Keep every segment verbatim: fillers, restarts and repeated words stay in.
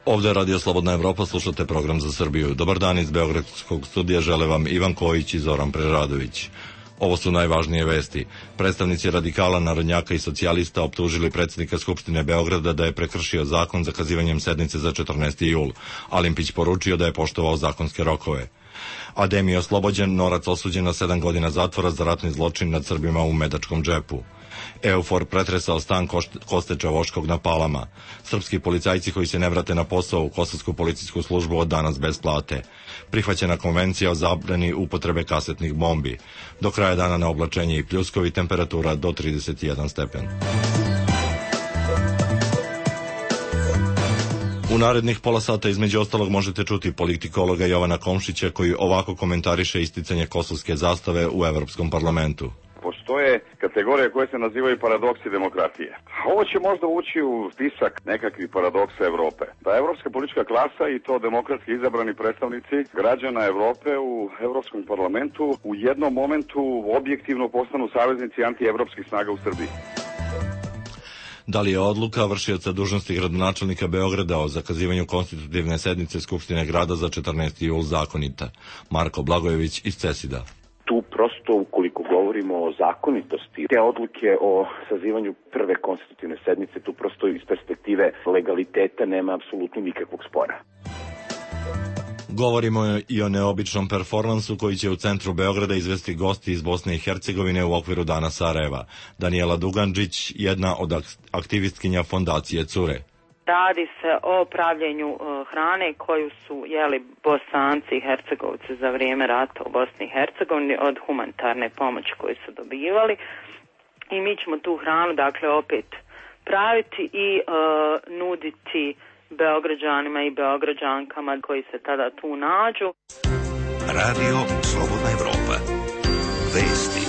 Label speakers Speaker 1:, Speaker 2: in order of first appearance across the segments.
Speaker 1: Ovdje je Radio Slobodna Evropa, slušate program za Srbiju. Dobar dan iz Beogradskog studija, žele vam Ivan Kojić i Zoran Preradović. Ovo su najvažnije vesti. Predstavnici radikala, narodnjaka i socijalista optužili predsjednika Skupštine Beograda da je prekršio zakon zakazivanjem sednice za četrnaesti jul. Alimpić poručio da je poštovao zakonske rokove. Adem je oslobođen, Norac osuđen na sedam godina zatvora za ratni zločin nad Srbima u Medačkom džepu. Eufor pretresao stan Kosteča Voškog na Palama. Srpski policajci koji se ne vrate na posao u Kosovsku policijsku službu od danas bez plate. Prihvaćena konvencija o zabrani upotrebe kasetnih bombi. Do kraja dana na oblačenje i pljuskovi, temperatura do trideset jedan stepen. U narednih pola sata između ostalog možete čuti politikologa Jovana Komšića koji ovako komentariše isticanje kosovske zastave u Evropskom parlamentu.
Speaker 2: Postoje kategorije koje se nazivaju paradoksi demokratije. Ovo će možda ući u spisak nekakvih paradoksa Evrope. Da evropska politička klasa i to demokratski izabrani predstavnici građana Evrope u Evropskom parlamentu u jednom momentu objektivno postanu saveznici antievropskih snaga u Srbiji.
Speaker 1: Da li je odluka vršioca dužnosti gradonačelnika Beograda o zakazivanju konstitutivne sednice Skupštine grada za četrnaesti jul zakonita? Marko Blagojević iz Cesida.
Speaker 3: Tu prosto, ukoliko govorimo o zakonitosti te odluke o sazivanju prve konstitutivne sednice, tu prosto iz perspektive legaliteta nema apsolutno nikakvog spora.
Speaker 1: Govorimo i o neobičnom performansu koji će u centru Beograda izvesti gosti iz Bosne i Hercegovine u okviru Dana Sarajeva. Danijela Dugandžić, jedna od aktivistkinja fondacije Cure.
Speaker 4: Radi se o pravljenju uh, hrane koju su jeli Bosanci i Hercegovci za vrijeme rata u Bosni i Hercegovini od humanitarne pomoći koju su dobivali. I mi ćemo tu hranu dakle opet praviti i uh, nuditi Beograđanima i Beograđankama koji se tada tu nađu.
Speaker 5: Radio Slobodna Evropa. Vesti.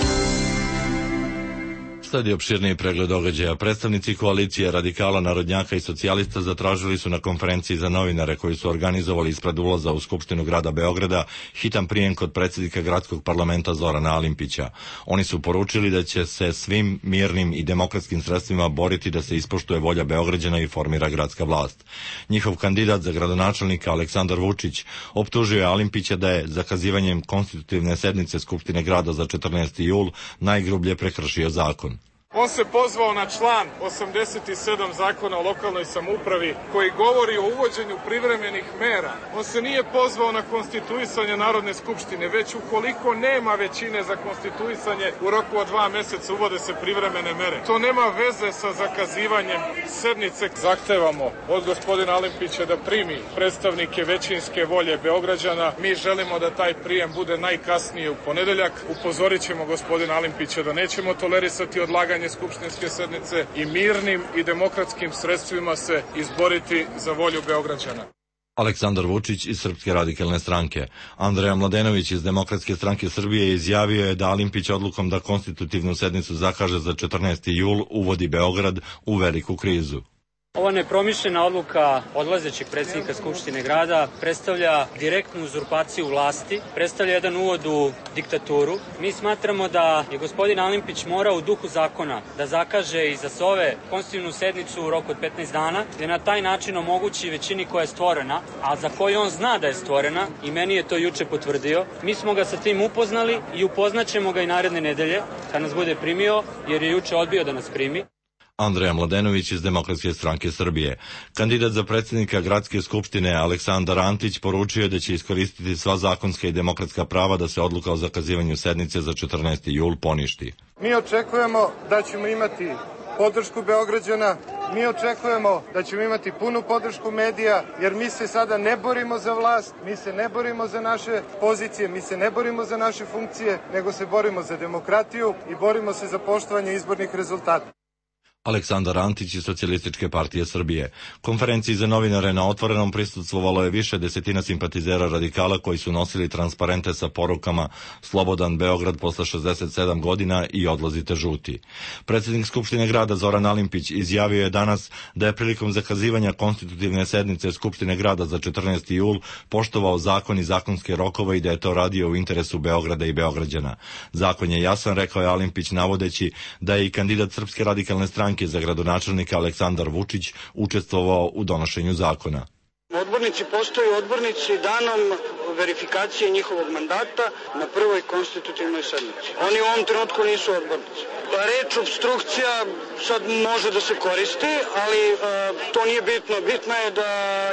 Speaker 1: Sledi opširniji pregled događaja. Predstavnici koalicije radikala, narodnjaka i socijalista zatražili su na konferenciji za novinare koji su organizovali ispred ulaza u Skupštinu grada Beograda hitan prijem kod predsjednika gradskog parlamenta Zorana Alimpića. Oni su poručili da će se svim mirnim i demokratskim sredstvima boriti da se ispoštuje volja Beograđana i formira gradska vlast. Njihov kandidat za gradonačelnika Aleksandar Vučić optužio je Alimpića da je zakazivanjem konstitutivne sednice Skupštine grada za četrnaesti jul najgrublje prekršio zakon.
Speaker 6: On se pozvao na član osamdeset sedam zakona o lokalnoj samoupravi koji govori o uvođenju privremenih mera. On se nije pozvao na konstituisanje Narodne skupštine, već ukoliko nema većine za konstituisanje u roku od dva meseca uvode se privremene mere. To nema veze sa zakazivanjem sednice. Zahtevamo od gospodina Alimpića da primi predstavnike većinske volje Beograđana. Mi želimo da taj prijem bude najkasnije u ponedeljak. Upozorit ćemo gospodina Alimpića da nećemo tolerisati odlaganje skupštinske sednice i mirnim i demokratskim sredstvima se izboriti za volju Beograđana.
Speaker 1: Aleksandar Vučić iz Srpske radikalne stranke. Andreja Mladenović iz Demokratske stranke Srbije izjavio je da Alimpić odlukom da konstitutivnu sednicu zakaže za četrnaesti jul uvodi Beograd u veliku krizu.
Speaker 7: Ova nepromišljena odluka odlazećeg predsjednika Skupštine grada predstavlja direktnu uzurpaciju vlasti, predstavlja jedan uvod u diktaturu. Mi smatramo da je gospodin Alimpić morao u duhu zakona da zakaže i zasove konstitutivnu sednicu u roku od petnaest dana, gdje na taj način omogući većini koja je stvorena, a za koju on zna da je stvorena i meni je to juče potvrdio. Mi smo ga sa tim upoznali i upoznaćemo ga i naredne nedelje kad nas bude primio, jer je juče odbio da nas primi.
Speaker 1: Andreja Mladenović iz Demokratske stranke Srbije. Kandidat za predsjednika Gradske skupštine Aleksandar Antić poručio je da će iskoristiti sva zakonska i demokratska prava da se odluka o zakazivanju sednice za četrnaesti jul poništi.
Speaker 8: Mi očekujemo da ćemo imati podršku Beograđana, mi očekujemo da ćemo imati punu podršku medija, jer mi se sada ne borimo za vlast, mi se ne borimo za naše pozicije, mi se ne borimo za naše funkcije, nego se borimo za demokratiju i borimo se za poštovanje izbornih rezultata.
Speaker 1: Aleksandar Antić iz Socijalističke partije Srbije. Konferenciji za novinare na Otvorenom prisustvovalo je više desetina simpatizera radikala koji su nosili transparente sa porukama Slobodan Beograd posle šezdeset sedam godina i odlazite žuti. Predsjednik Skupštine grada Zoran Alimpić izjavio je danas da je prilikom zakazivanja konstitutivne sednice Skupštine grada za četrnaesti jul poštovao zakon i zakonske rokove i da je to radio u interesu Beograda i Beograđana. Zakon je jasan, rekao je Alimpić, navodeći da je i kandidat Srpske radikalne stranke za gradonačelnika Aleksandar Vučić učestvovao u donošenju zakona.
Speaker 9: odbornici postaju odbornici danom verifikacije njihovog mandata na prvoj konstitutivnoj sednici. Oni u ovom trenutku nisu odbornici. Reč obstrukcija sad može da se koristi, ali e, to nije bitno. Bitno je da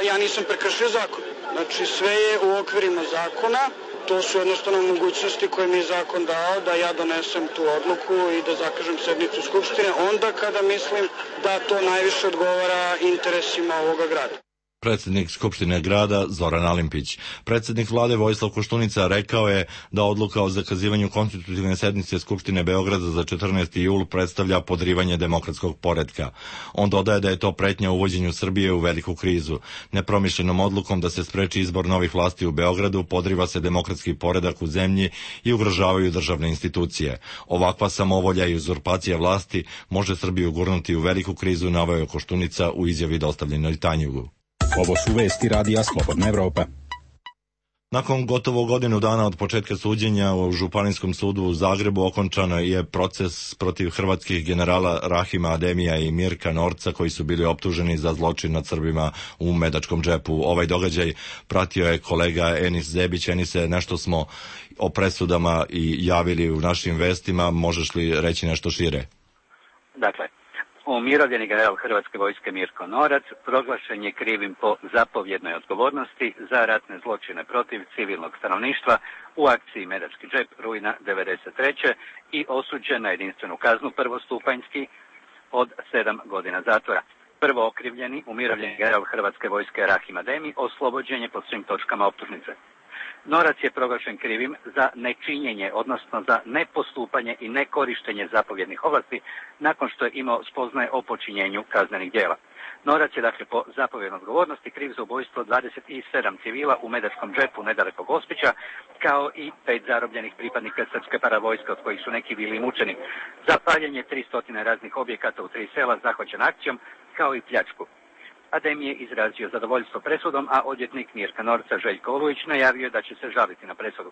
Speaker 9: ja nisam prekršio zakon. Znači sve je u okvirima zakona. To su jednostavno mogućnosti koje mi je zakon dao da ja donesem tu odluku i da zakažem sednicu Skupštine onda kada mislim da to najviše odgovara interesima ovoga grada.
Speaker 1: Predsjednik Skupštine grada Zoran Alimpić. Predsjednik vlade Vojislav Koštunica rekao je da odluka o zakazivanju konstitutivne sednice Skupštine Beograda za četrnaesti jul predstavlja podrivanje demokratskog poretka. On dodaje da je to pretnja uvođenju Srbije u veliku krizu. Nepromišljenom odlukom da se spreči izbor novih vlasti u Beogradu podriva se demokratski poredak u zemlji i ugrožavaju državne institucije. Ovakva samovolja i uzurpacija vlasti može Srbiju gurnuti u veliku krizu, naveo je Koštunica u izjavi dostavljenoj Tanjugu.
Speaker 10: Ovo su vesti radija Slobodna Evropa.
Speaker 1: Nakon gotovo godinu dana od početka suđenja u Županijskom sudu u Zagrebu okončan je proces protiv hrvatskih generala Rahima Ademija i Mirka Norca koji su bili optuženi za zločin nad Srbima u Medačkom džepu. Ovaj događaj pratio je kolega Enis Zebić. Enise, nešto smo o presudama i javili u našim vestima. Možeš li reći nešto šire?
Speaker 11: Dakle, umirovljeni general Hrvatske vojske Mirko Norac proglašen je krivim po zapovjednoj odgovornosti za ratne zločine protiv civilnog stanovništva u akciji Medački džep rujna devedeset treće i osuđen na jedinstvenu kaznu prvostupanjski od sedam godina zatvora. Prvo okrivljeni umirovljeni general Hrvatske vojske Rahim Ademi oslobođen je po svim točkama optužnice. Norac je proglašen krivim za nečinjenje, odnosno za nepostupanje i nekorištenje zapovjednih ovlasti nakon što je imao spoznaje o počinjenju kaznenih djela. Norac je dakle po zapovjednoj odgovornosti kriv za ubojstvo dvadeset sedam civila u Medačkom džepu nedaleko Gospića, kao i pet zarobljenih pripadnika srpske paravojske, od kojih su neki bili mučeni, za paljenje tristo raznih objekata u tri sela zahvaćen akcijom, kao i pljačku. Adem je izrazio zadovoljstvo presudom, a odvjetnik Mirka Norca Željko Olujić najavio da će se žaliti na presudu.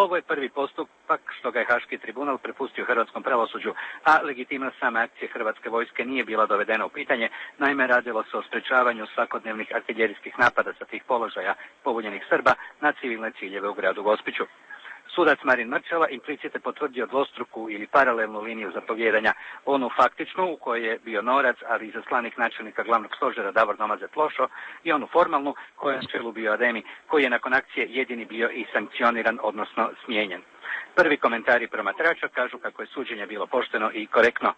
Speaker 11: Ovo je prvi postupak što ga je Haški tribunal prepustio hrvatskom pravosuđu, a legitimnost same akcije Hrvatske vojske nije bila dovedena u pitanje, naime radilo se o sprečavanju svakodnevnih artiljerijskih napada sa tih položaja pobunjenih Srba na civilne ciljeve u gradu Gospiću. Sudac Marin Mrčela implicite potvrdio dvostruku ili paralelnu liniju zapovjedanja, onu faktičnu u kojoj je bio Norac, ali i zaslanik načelnika glavnog stožera Davor Domazet Plošo, i onu formalnu koja je na čelu bio Ademi, koji je nakon akcije jedini bio i sankcioniran, odnosno smijenjen. Prvi komentari promatrača kažu kako je suđenje bilo pošteno i korektno.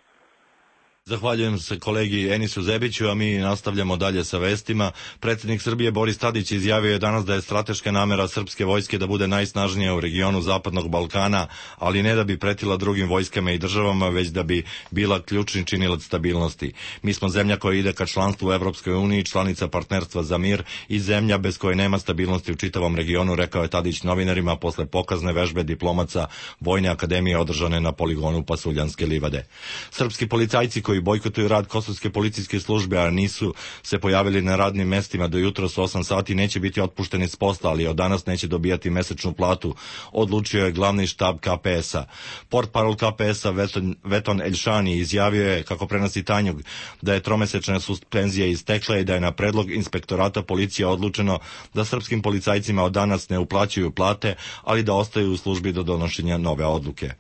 Speaker 1: Zahvaljujem se kolegi Enisu Zebiću, a mi nastavljamo dalje sa vestima. Predsjednik Srbije Boris Tadić izjavio je danas da je strateška namera srpske vojske da bude najsnažnija u regionu Zapadnog Balkana, ali ne da bi pretila drugim vojskama i državama, već da bi bila ključni činilac stabilnosti. Mi smo zemlja koja ide ka članstvu u Evropskoj uniji, članica partnerstva za mir i zemlja bez koje nema stabilnosti u čitavom regionu, rekao je Tadić novinarima posle pokazne vežbe diplomaca Vojne akademije održane na poligonu Pasuljanske livade. Srpski policajci koji bojkotuju rad kosovske policijske službe, a nisu se pojavili na radnim mestima do jutros osam sati, neće biti otpušteni s posla, ali od danas neće dobijati mesečnu platu, odlučio je glavni štab K P S-a. Portparol K P S-a Veton, Veton Elšani izjavio je, kako prenosi Tanjug, da je tromesečna suspenzija istekla i da je na predlog inspektorata policije odlučeno da srpskim policajcima od danas ne uplaćuju plate, ali da ostaju u službi do donošenja nove odluke.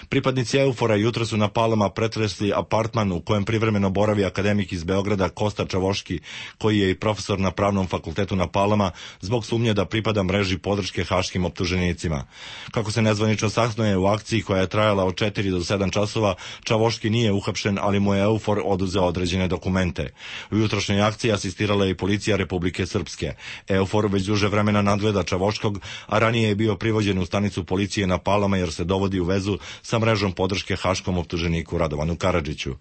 Speaker 1: Pripadnici Eufora jutro su na Palama pretresli apartman u kojem privremeno boravi akademik iz Beograda Kosta Čavoški, koji je i profesor na Pravnom fakultetu na Palama, zbog sumnje da pripada mreži podrške haškim optuženicima. Kako se nezvanično saznaje, u akciji koja je trajala od četiri do sedam časova, Čavoški nije uhapšen, ali mu je Eufor oduzeo određene dokumente. U jutrošnjoj akciji asistirala je i policija Republike Srpske. Eufor već duže vremena nadgleda Čavoškog, a ranije je bio privođen u stanicu policije na Palama jer se dovodi u vezu sa mrežom podrške haškom optuženiku Radovanu Karadžiću.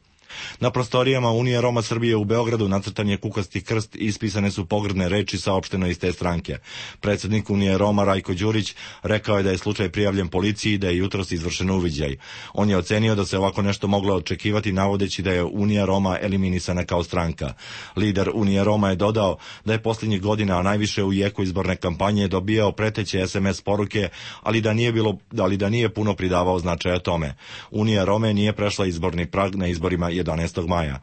Speaker 1: Na prostorijama Unije Roma Srbije u Beogradu nacrtan je kukasti krst i ispisane su pogrdne reči, saopšteno iz te stranke. Predsjednik Unije Roma Rajko Đurić rekao je da je slučaj prijavljen policiji i da je jutros izvršen uviđaj. On je ocenio da se ovako nešto moglo očekivati, navodeći da je Unija Roma eliminisana kao stranka. Lider Unije Roma je dodao da je posljednjih godina, a najviše u jeku izborne kampanje, dobijao preteće es em es poruke, ali da nije bilo, ali da nije puno pridavao značaja tome. Unija Rome nije prešla izborni prag na izborima jedanaestog maja.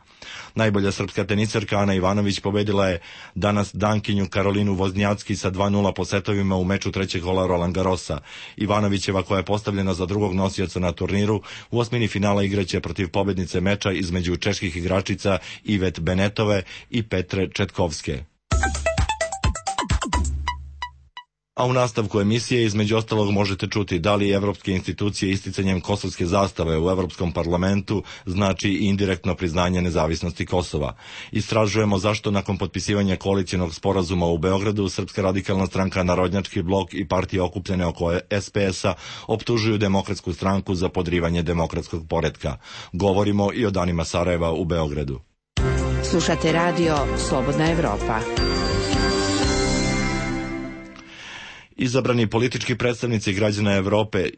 Speaker 1: Najbolja srpska teniserka Ana Ivanović pobedila je danas Dankinju Karolinu Voznjacki sa dva nula po setovima u meču trećeg kola Roland Garrosa. Ivanovićeva, koja je postavljena za drugog nosioca na turniru, u osmini finala igraće protiv pobednice meča između čeških igračica Ivet Benetove i Petre Četkovske. A u nastavku emisije između ostalog možete čuti da li evropske institucije isticanjem kosovske zastave u Evropskom parlamentu znači indirektno priznanje nezavisnosti Kosova. Istražujemo zašto nakon potpisivanja koalicijonog sporazuma u Beogradu Srpska radikalna stranka, Narodnjački blok i partije okupljene oko es pe es-a optužuju Demokratsku stranku za podrivanje demokratskog poretka. Govorimo i o danima Sarajeva u Beogradu.
Speaker 12: Slušate radio Slobodna Evropa.
Speaker 1: Izabrani politički predstavnici građana Evrope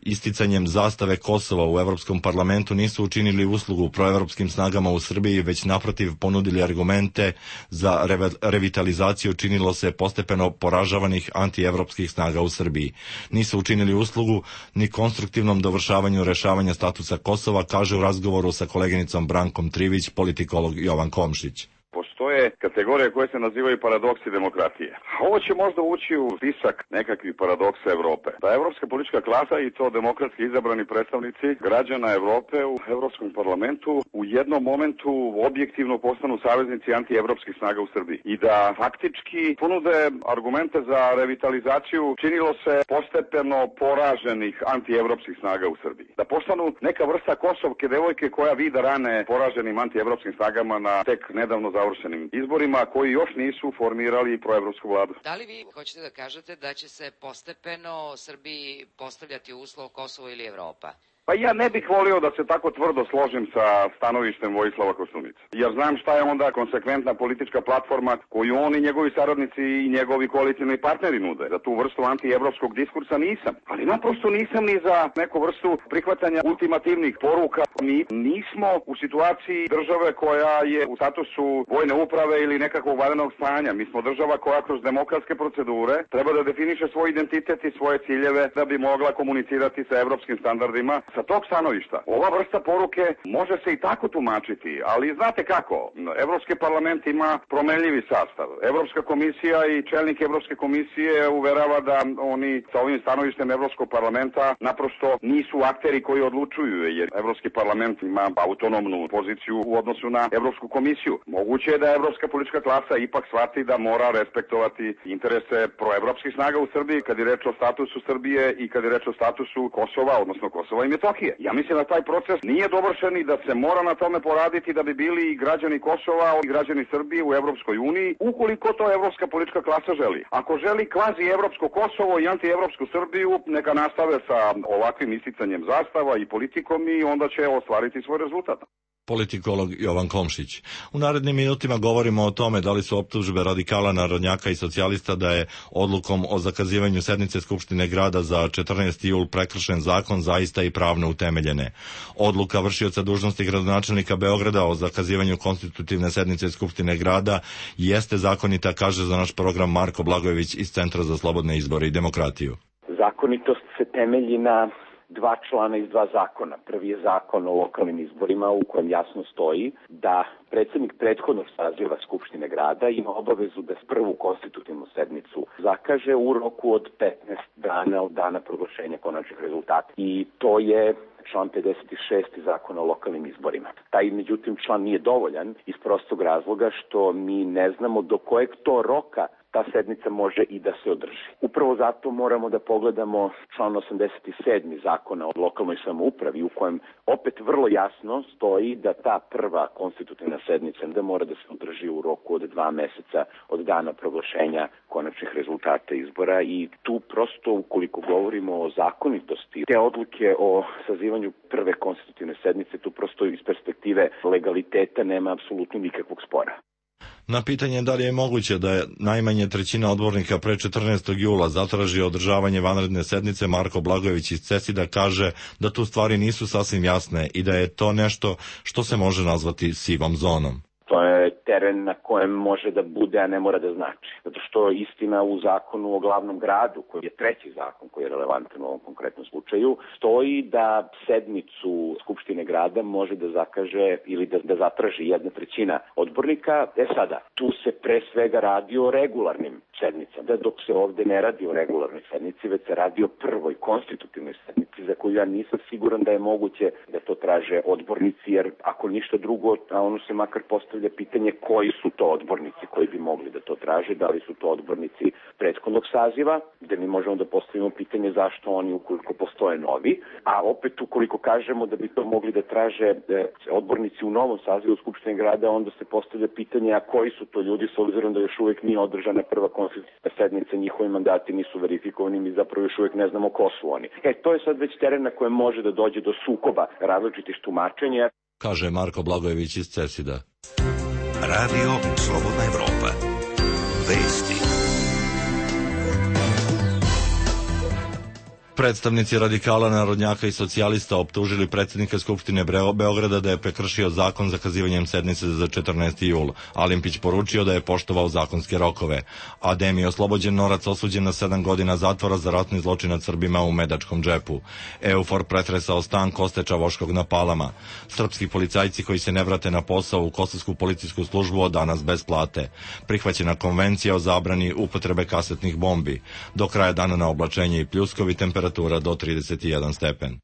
Speaker 1: isticanjem zastave Kosova u Evropskom parlamentu nisu učinili uslugu proevropskim snagama u Srbiji, već naprotiv ponudili argumente za revitalizaciju činilo se postepeno poražavanih antievropskih snaga u Srbiji. Nisu učinili uslugu ni konstruktivnom dovršavanju rešavanja statusa Kosova, kaže u razgovoru sa koleginicom Brankom Trivić politikolog Jovan Komšić.
Speaker 2: Postoje kategorije koje se nazivaju paradoksi demokratije. A ovo će možda ući u spisak nekakvih paradoksa Evrope. Da evropska politička klasa i to demokratski izabrani predstavnici građana Evrope u Evropskom parlamentu u jednom momentu objektivno postanu saveznici antievropskih snaga u Srbiji. I da faktički ponude argumente za revitalizaciju činilo se postepeno poraženih antievropskih snaga u Srbiji. Da postanu neka vrsta kosovke devojke koja vida rane poraženim antievropskim snagama na tek nedavno završenim izborima koji još nisu formirali proevropsku vladu.
Speaker 13: Da li vi hoćete da kažete da će se postepeno Srbiji postavljati uslov Kosovo ili Evropa?
Speaker 2: Pa ja ne bih volio da se tako tvrdo složim sa stanovištem Vojislava Koštunice. Jer znam šta je onda konsekventna politička platforma koju on i njegovi saradnici i njegovi koalicijni partneri nude. Za tu vrstu antievropskog diskursa nisam. Ali naprosto nisam ni za neku vrstu prihvatanja ultimativnih poruka. Mi nismo u situaciji države koja je u statusu vojne uprave ili nekakvog vanrednog stanja. Mi smo država koja kroz demokratske procedure treba da definiše svoj identitet i svoje ciljeve da bi mogla komunicirati sa evropskim standardima. Sa tog stanovišta, ova vrsta poruke može se i tako tumačiti, ali znate kako, Evropski parlament ima promenljivi sastav. Evropska komisija i čelnik Evropske komisije uverava da oni sa ovim stanovištem Evropskog parlamenta naprosto nisu akteri koji odlučuju, jer Evropski parlament ima autonomnu poziciju u odnosu na Evropsku komisiju. Moguće je da Evropska politička klasa ipak shvati da mora respektovati interese proevropskih snaga u Srbiji kad je reč o statusu Srbije i kad je reč o statusu Kosova, odnosno Kosova i Metohije. Ja mislim da taj proces nije dovršen i da se mora na tome poraditi da bi bili i građani Kosova i građani Srbije u Evropskoj uniji, ukoliko to evropska politička klasa želi. Ako želi kvazi evropsko Kosovo i antievropsku Srbiju, neka nastave sa ovakvim isticanjem zastava i politikom i onda će ostvariti svoj rezultat.
Speaker 1: Politikolog Jovan Komšić. U narednim minutima govorimo o tome da li su optužbe radikala, narodnjaka i socijalista da je odlukom o zakazivanju sednice Skupštine grada za četrnaesti jul prekršen zakon zaista i pravno utemeljene. Odluka vršioca dužnosti gradonačelnika Beograda o zakazivanju konstitutivne sednice Skupštine grada jeste zakonita, kaže za naš program Marko Blagojević iz Centra za slobodne izbore i demokratiju.
Speaker 3: Zakonitost se temelji na dva člana iz dva zakona. Prvi je zakon o lokalnim izborima u kojem jasno stoji da predsjednik prethodnog saziva Skupštine grada ima obavezu da prvu konstitutivnu sednicu zakaže u roku od petnaest dana od dana proglašenja konačnih rezultata. I to je član pedeset šest zakona o lokalnim izborima. Taj, međutim, član nije dovoljan iz prostog razloga što mi ne znamo do kojeg to roka ta sednica može i da se održi. Upravo zato moramo da pogledamo član osamdeset sedam zakona o lokalnoj samoupravi u kojem opet vrlo jasno stoji da ta prva konstitutivna sednica da mora da se održi u roku od dva meseca od dana proglašenja konačnih rezultata izbora i tu prosto ukoliko govorimo o zakonitosti te odluke o sazivanju prve konstitutivne sednice, tu prosto iz perspektive legaliteta nema apsolutno nikakvog spora.
Speaker 1: Na pitanje da li je moguće da je najmanje trećina odbornika pre četrnaestog jula zatraži održavanje vanredne sednice, Marko Blagojević iz Cesida kaže da tu stvari nisu sasvim jasne i da je to nešto što se može nazvati sivom zonom.
Speaker 3: To je teren na kojem može da bude, a ne mora da znači. Zato što istina u zakonu o glavnom gradu, koji je treći zakon koji je relevantan u ovom konkretnom slučaju, stoji da sednicu Skupštine grada može da zakaže ili da, da zatraži jedna trećina odbornika. E sada, tu se pre svega radi o regularnim sednicama. Da dok se ovde ne radi o regularnoj sednici, već se radi o prvoj konstitutivnoj sednici za koju ja nisam siguran da je moguće da to traže odbornici, jer ako ništa drugo, a ono se makar postavlja pitanje koji su to odbornici koji bi mogli da to traže, da li su to odbornici prethodnog saziva, gde mi možemo da postavimo pitanje zašto oni ukoliko postoje novi, a opet ukoliko kažemo da bi to mogli da traže odbornici u novom sazivu Skupštine grada, onda se postavlja pitanje a koji su to ljudi s obzirom da još uvek nije održana prva konstitutivna sednica, njihovi mandati nisu verifikovani, mi zapravo još uvek ne znamo ko su oni. E, to je sad već teren na kojem može da dođe do sukoba različitih tumačenja.
Speaker 1: Kaže Marko Blagojević iz Cesida.
Speaker 5: Radio Slobodna Evropa. Vesti.
Speaker 1: Predstavnici radikala, narodnjaka i socijalista optužili predsjednika Skupštine Beograda da je prekršio zakon zakazivanjem sednice za četrnaesti jul. Alimpić poručio da je poštovao zakonske rokove. Adem je oslobođen, Norac osuđen na sedam godina zatvora za ratni zločin nad Srbima u Medačkom džepu. Eufor pretresao stan Koste Čavoškog na Palama. Srpski policajci koji se ne vrate na posao u kosovsku policijsku službu od danas bez plate. Prihvaćena konvencija o zabrani upotrebe kasetnih bombi. Do kraja dana na oblačenje i pljuskovi, temperatura do trideset jedan stepen.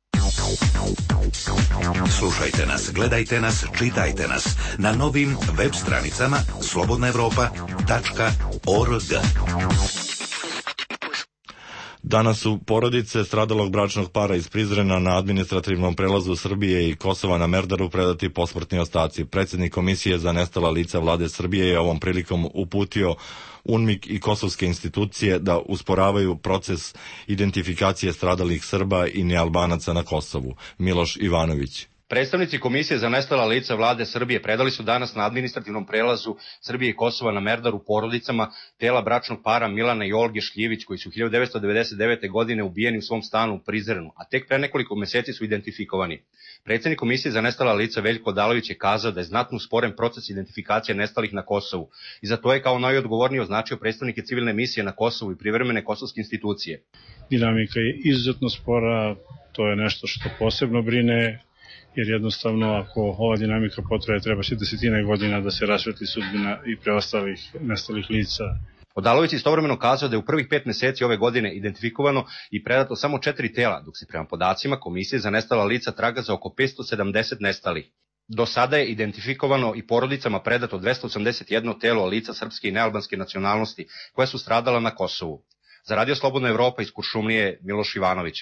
Speaker 5: Slušajte nas, gledajte nas, čitajte nas na novim web stranicama slobodna evropa tačka org.
Speaker 1: Danas su porodice stradalog bračnog para iz Prizrena na administrativnom prelazu Srbije i Kosova na Merdaru predati posmrtni ostaci. Predsjednik Komisije za nestala lica vlade Srbije je ovom prilikom uputio UNMIK i kosovske institucije da usporavaju proces identifikacije stradalih Srba i nealbanaca na Kosovu. Miloš Ivanović.
Speaker 14: Predstavnici Komisije za nestala lica vlade Srbije predali su danas na administrativnom prelazu Srbije i Kosova na Merdaru porodicama tela bračnog para Milana i Olge Šljivić, koji su hiljadu devetsto devedeset devete. godine ubijeni u svom stanu u Prizrenu, a tek pre nekoliko meseci su identifikovani. Predsjednik Komisije za nestala lica Veljko Odalović je kazao da je znatno usporen proces identifikacije nestalih na Kosovu i za to je kao najodgovorniji označio predstavnike civilne misije na Kosovu i privremene kosovske institucije.
Speaker 15: Dinamika je izuzetno spora, to je nešto što posebno brine, jer jednostavno ako ova dinamika potraje treba se desetine godina da se rasvetli sudbina i preostalih nestalih lica.
Speaker 14: Odalović istovremeno kazao da je u prvih pet meseci ove godine identifikovano i predato samo četiri tela, dok se prema podacima Komisije za nestala lica traga za oko petsto sedamdeset nestalih. Do sada je identifikovano i porodicama predato dvesta osamdeset jedno telo lica srpske i nealbanske nacionalnosti koja su stradala na Kosovu. Za Radio Slobodna Evropa iz Kuršumlije, Miloš Ivanović.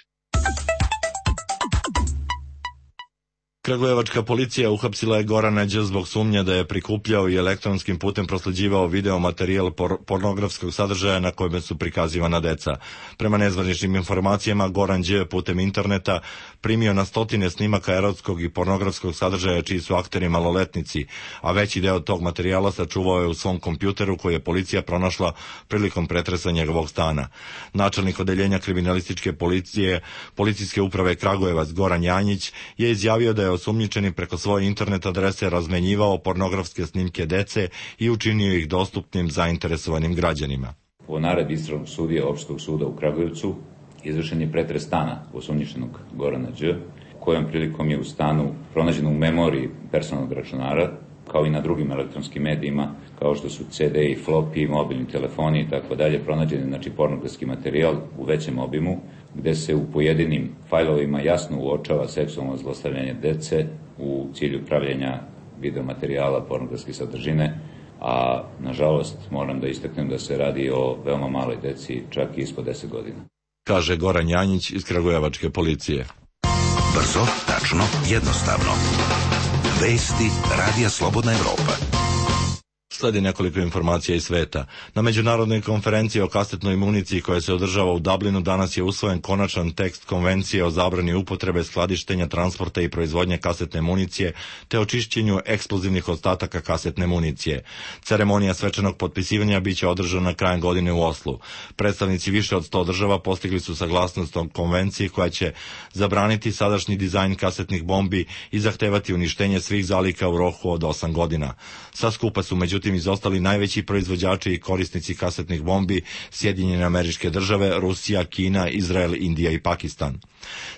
Speaker 1: Kragujevačka policija uhapsila je Gorana Đ zbog sumnje da je prikupljao i elektronskim putem prosleđivao video materijal por pornografskog sadržaja na kojem su prikazivana deca. Prema nezvaničnim informacijama, Goran Đ putem interneta primio na stotine snimaka erotskog i pornografskog sadržaja čiji su akteri maloletnici, a veći deo tog materijala sačuvao je u svom kompjuteru koji je policija pronašla prilikom pretresa njegovog stana. Načelnik odeljenja kriminalističke policije Policijske uprave Kragujevac Goran Janjić je izjavio da je osumnjičeni preko svoje internet adrese razmenjivao pornografske snimke dece i učinio ih dostupnim zainteresovanim građanima.
Speaker 16: Po naredbi istražnog sudije Opštinskog suda u Kragujevcu izvršen je pretres stana osumnjičenog Gorana Đ, kojom prilikom je u stanu pronađeno u memoriji personalnog računara, kao i na drugim elektronskim medijima, kao što su ce de i flopi, mobilni telefoni i tako dalje, pronađen znači pornografski materijal u većem obimu, gde se u pojedinim fajlovima jasno uočava seksualno zlostavljanje dece u cilju pravljenja videomaterijala pornografske sadržine, a nažalost moram da istaknem da se radi o veoma maloj deci, čak i ispod deset godina.
Speaker 1: Kaže Goran Janjić iz Kragujevačke policije.
Speaker 5: Brzo, tačno, jednostavno. Vesti Radija Slobodna Evropa.
Speaker 1: Sledi nekoliko informacija iz sveta. Na međunarodnoj konferenciji o kasetnoj municiji koja se održava u Dublinu danas je usvojen konačan tekst konvencije o zabrani upotrebe, skladištenja, transporta i proizvodnje kasetne municije te o čišćenju eksplozivnih ostataka kasetne municije. Ceremonija svečanog potpisivanja biće održana krajem godine u Oslu. Predstavnici više od sto država postigli su saglasnost o konvenciji koja će zabraniti sadašnji dizajn kasetnih bombi i zahtevati uništenje svih zalika u roku od osam godina. Sa skupa su međutim izostali najveći proizvođači i korisnici kasetnih bombi, Sjedinjene Američke Države, Rusija, Kina, Izrael, Indija i Pakistan.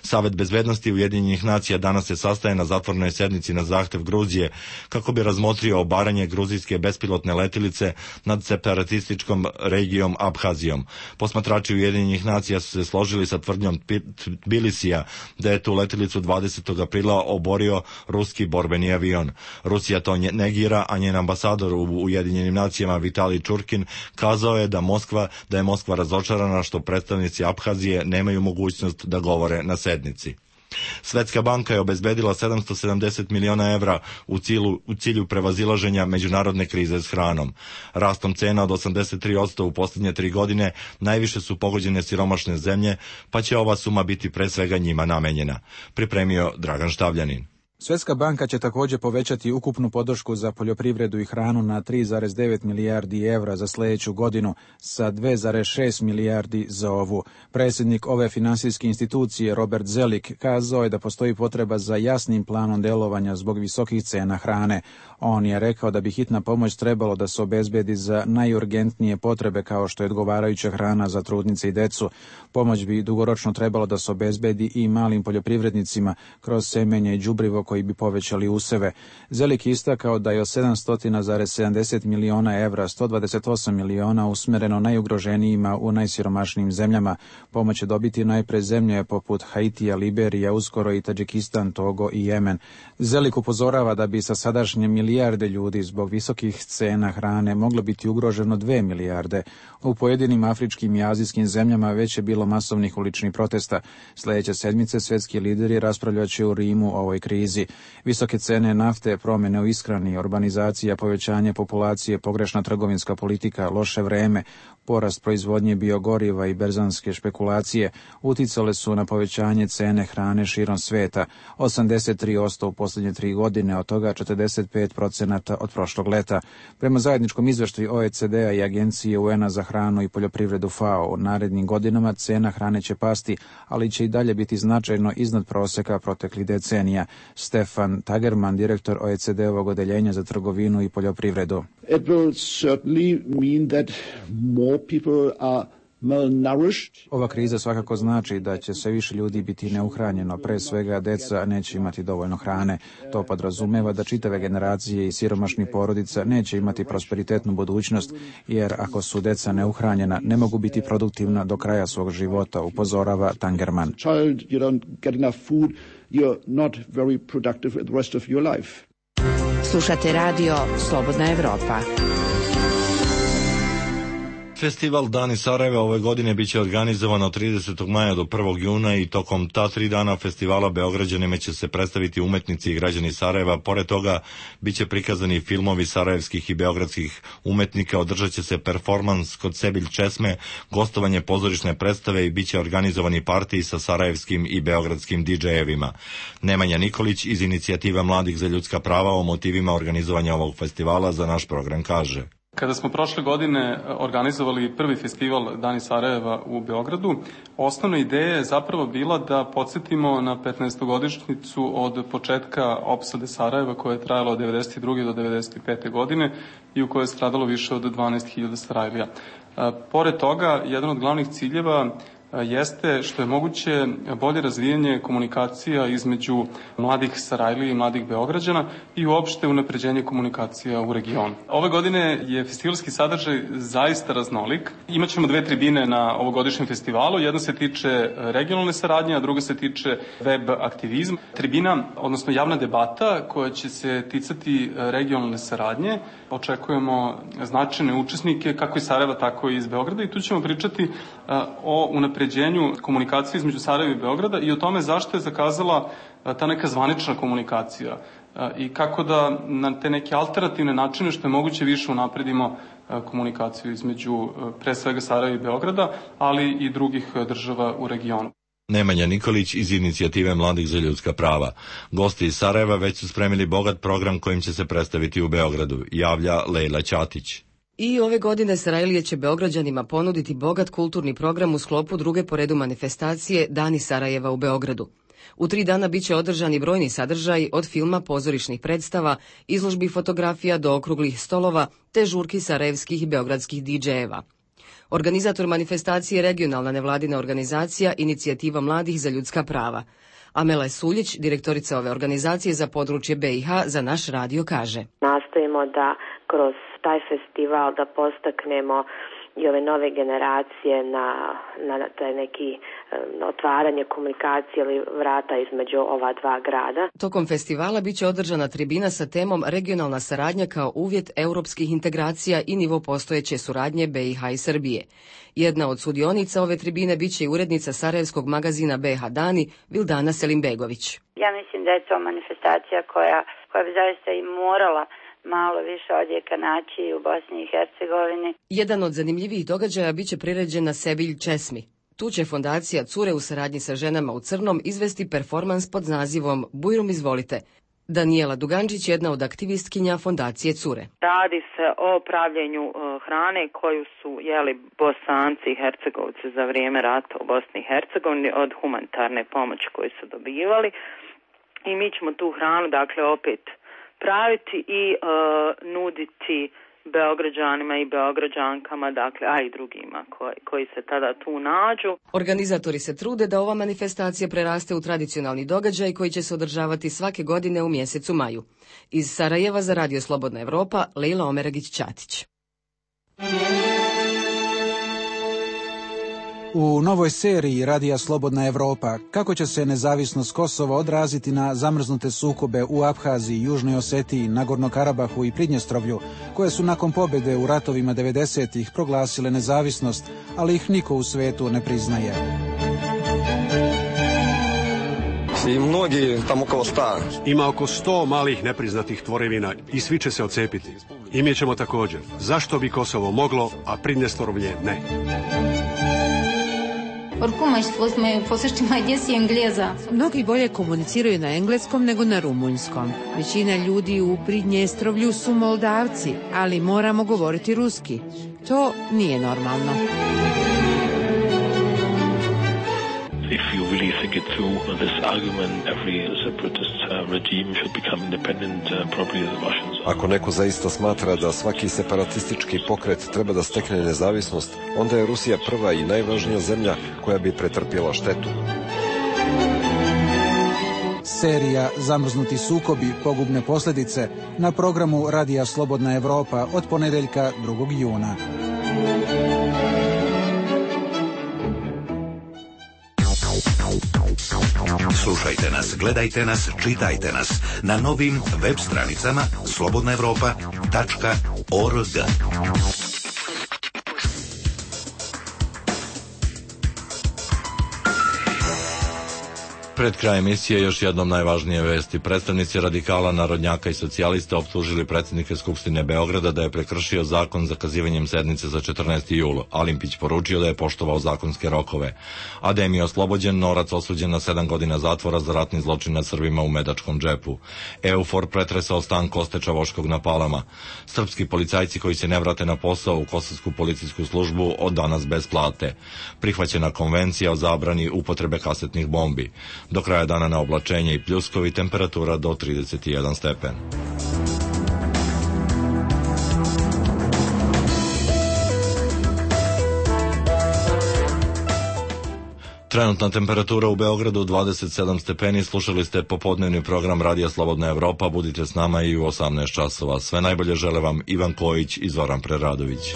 Speaker 1: Savet bezbednosti Ujedinjenih nacija danas se sastaje na zatvorenoj sednici na zahtev Gruzije kako bi razmotrio obaranje gruzijske bespilotne letilice nad separatističkom regijom Abhazijom. Posmatrači Ujedinjenih nacija su se složili sa tvrdnjom Tbilisija da je tu letilicu dvadesetog aprila oborio ruski borbeni avion. Rusija to negira, a njen ambasador u Ujedinjenim nacijama Vitalij Čurkin kazao je da Moskva da je Moskva razočarana što predstavnici Abhazije nemaju mogućnost da govore na sednici. Svetska banka je obezbedila sedamsto sedamdeset miliona evra u cilju, u cilju prevazilaženja međunarodne krize s hranom. Rastom cena od osamdeset tri posto u posljednje tri godine najviše su pogođene siromašne zemlje, pa će ova suma biti pre svega njima namenjena. Pripremio Dragan Štavljanin.
Speaker 17: Svjetska banka će također povećati ukupnu podršku za poljoprivredu i hranu na tri zarez devet milijardi evra za sljedeću godinu sa dve zarez šest milijardi za ovu. Predsjednik ove finansijske institucije Robert Zelik kazao je da postoji potreba za jasnim planom djelovanja zbog visokih cena hrane. On je rekao da bi hitna pomoć trebalo da se obezbedi za najurgentnije potrebe kao što je odgovarajuća hrana za trudnice i decu. Pomoć bi dugoročno trebalo da se obezbedi i malim poljoprivrednicima kroz semenje i đubrivo koji bi povećali useve. Zelik istakao da je od sedamsto zarez sedamdeset miliona evra sto dvadeset osam miliona usmjereno najugroženijima u najsiromašnijim zemljama. Pomoć će dobiti najpre zemlje poput Haitija, Liberija, uskoro i Tadžikistan, Togo i Jemen. Zelik upozorava da bi sa sadašnje milijarde ljudi zbog visokih cena hrane moglo biti ugroženo dve milijarde. U pojedinim afričkim i azijskim zemljama već je bilo masovnih uličnih protesta. Sljedeće sedmice svjetski lideri raspravljat će u Rimu o ovoj krizi. Visoke cene nafte, promjene u ishrani, urbanizacija, povećanje populacije, pogrešna trgovinska politika, loše vreme, porast proizvodnje biogoriva i berzanske špekulacije uticale su na povećanje cene hrane širom sveta, osamdeset tri posto u posljednje tri godine, od toga četrdeset pet procenata od prošlog leta. Prema zajedničkom izveštaju O E C D-a i Agencije U N-a za hranu i poljoprivredu F A O, u narednim godinama cena hrane će pasti, ali će i dalje biti značajno iznad proseka proteklih decenija. Stefan Tagerman, direktor O E C D-ovog odeljenja za trgovinu i poljoprivredu.
Speaker 18: It will certainly mean that more people are malnourished.
Speaker 17: Ova kriza svakako znači da će sve više ljudi biti neuhranjeno, pre svega deca neće imati dovoljno hrane. To podrazumeva da čitave generacije i siromašnih porodica neće imati prosperitetnu budućnost, jer ako su deca neuhranjena, ne mogu biti produktivna do kraja svog života, upozorava Tangerman.
Speaker 18: Child, you don't get enough food, you're not very productive the rest of your life.
Speaker 12: Slušate radio Slobodna Evropa.
Speaker 1: Festival Dani Sarajeva ove godine biće organizovan od tridesetog maja do prvog juna i tokom ta tri dana festivala Beograđanima će se predstaviti umetnici i građani Sarajeva. Pored toga biće prikazani filmovi sarajevskih i beogradskih umetnika, održat će se performans kod Sebilj Česme, gostovanje pozorišne predstave i biće organizovani partiji sa sarajevskim i beogradskim didžejevima. Nemanja Nikolić iz Inicijative mladih za ljudska prava o motivima organizovanja ovog festivala za naš program kaže:
Speaker 19: Kada smo prošle godine organizovali prvi festival Dani Sarajeva u Beogradu, osnovna ideja je zapravo bila da podsjetimo na petnaestogodišnjicu od početka opsade Sarajeva koja je trajala od devedeset druge do devedeset pete godine i u kojoj je stradalo više od dvanaest hiljada Sarajlija. Pored toga, jedan od glavnih ciljeva jeste što je moguće bolje razvijanje komunikacija između mladih Sarajlija i mladih Beograđana i uopšte unapređenje komunikacija u regionu. Ove godine je festivalski sadržaj zaista raznolik. Imaćemo dve tribine na ovogodišnjem festivalu. Jedna se tiče regionalne saradnje, a druga se tiče web aktivizma. Tribina, odnosno javna debata koja će se ticati regionalne saradnje. Očekujemo značajne učesnike kako iz Sarajeva, tako i iz Beograda i tu ćemo pričati o unapređenju komunikacije između Sarajeva i Beograda i o tome zašto je zakazala ta neka zvanična komunikacija. i kako da na te neke alternativne načine što je moguće više unapredimo komunikaciju između pre svega Sarajeva i Beograda, ali i drugih država u regionu.
Speaker 1: Nemanja Nikolić iz Inicijative mladih za ljudska prava. Gosti iz Sarajeva već su spremili bogat program kojim će se predstaviti u Beogradu, javlja Lejla Ćatić.
Speaker 20: I ove godine Sarajlije će Beograđanima ponuditi bogat kulturni program u sklopu druge po redu manifestacije Dani Sarajeva u Beogradu. U tri dana biće održani brojni sadržaji od filma, pozorišnih predstava, izložbi fotografija do okruglih stolova te žurki sarajevskih i beogradskih didžejeva. Organizator manifestacije je regionalna nevladina organizacija Inicijativa mladih za ljudska prava. Amela Suljić, direktorica ove organizacije za područje B i H, za naš radio kaže:
Speaker 21: Nastojimo da kroz taj festival da postaknemo i ove nove generacije na, na taj neki na otvaranje komunikacije ili vrata između ova dva grada.
Speaker 20: Tokom festivala biće održana tribina sa temom regionalna saradnja kao uvjet europskih integracija i nivo postojeće suradnje B i H i Srbije. Jedna od sudionica ove tribine biće i urednica sarajevskog magazina B i H Dani, Vildana Selimbegović.
Speaker 22: Ja mislim da je to manifestacija koja, koja bi zaista i morala malo više odjeka naći u Bosni i Hercegovini.
Speaker 20: Jedan od zanimljivih događaja biće priređen na Sevilj Česmi. Tu će fondacija Cure u saradnji sa ženama u crnom izvesti performans pod nazivom Bujrum izvolite. Danijela Dugančić je jedna od aktivistkinja fondacije Cure.
Speaker 4: Radi se o pravljenju uh, hrane koju su jeli Bosanci i Hercegovci za vrijeme rata u Bosni i Hercegovini od humanitarne pomoći koju su dobivali. I mi ćemo tu hranu, dakle, opet praviti i uh, nuditi Beograđanima i Beograđankama, dakle, a i drugima koji, koji se tada tu nađu.
Speaker 20: Organizatori se trude da ova manifestacija preraste u tradicionalni događaj koji će se održavati svake godine u mjesecu maju. Iz Sarajeva za Radio Slobodna Evropa, Lejla Omeragić-Ćatić.
Speaker 17: U novoj seriji Radija Slobodna Evropa kako će se nezavisnost Kosova odraziti na zamrznute sukobe u Abhaziji, Južnoj Osetiji, Nagorno Karabahu i Pridnjestrovlju, koje su nakon pobjede u ratovima devedesetih proglasile nezavisnost, ali ih niko u svetu ne priznaje.
Speaker 23: I mnogi tamo okolo sta.
Speaker 24: Ima oko sto malih nepriznatih tvorevina i svi će se ocepiti. I mi ćemo također. Zašto bi Kosovo moglo, a Pridnjestrovlje ne?
Speaker 12: Mnogi bolje komuniciraju na engleskom nego na rumunjskom. Većina ljudi u Pridnjestrovlju su Moldavci, ali moramo govoriti ruski. To nije normalno.
Speaker 25: If you really think it through, this argument, every separatist uh, regime should become independent, uh, probably the Russians.
Speaker 23: Ako neko zaista smatra da svaki separatistički pokret treba da stekne nezavisnost, onda je Rusija prva i najvažnija zemlja koja bi pretrpjela štetu.
Speaker 17: Serija Zamrznuti sukobi, pogubne posljedice na programu Radija Slobodna Evropa od ponedeljka drugog juna.
Speaker 5: Slušajte nas, gledajte nas, čitajte nas na novim web stranicama slobodna evropa tačka org.
Speaker 1: Pred kraj emisije još jednom najvažnije vesti. Predstavnici radikala, narodnjaka i socijalista optužili predsjednika Skupštine Beograda da je prekršio zakon zakazivanjem sednice za četrnaesti jul. Alimpić poručio da je poštovao zakonske rokove. Adem je oslobođen, Norac osuđen na sedam godina zatvora za ratni zločin nad Srbima u Medačkom džepu. Eufor pretresao stan Koste Čavoškog na Palama. Srpski policajci koji se ne vrate na posao u kosovsku policijsku službu od danas bez plate. Prihvaćena konvencija o zabrani upotrebe kasetnih bombi. Do kraja dana na oblačenje i pljuskovi, temperatura do trideset jedan stepen. Trenutna temperatura u Beogradu dvadeset sedam stepeni. Slušali ste popodnevni program Radija Slobodna Evropa. Budite s nama i u osamnaest časova. Sve najbolje žele vam Ivan Kojić i Zoran Preradović.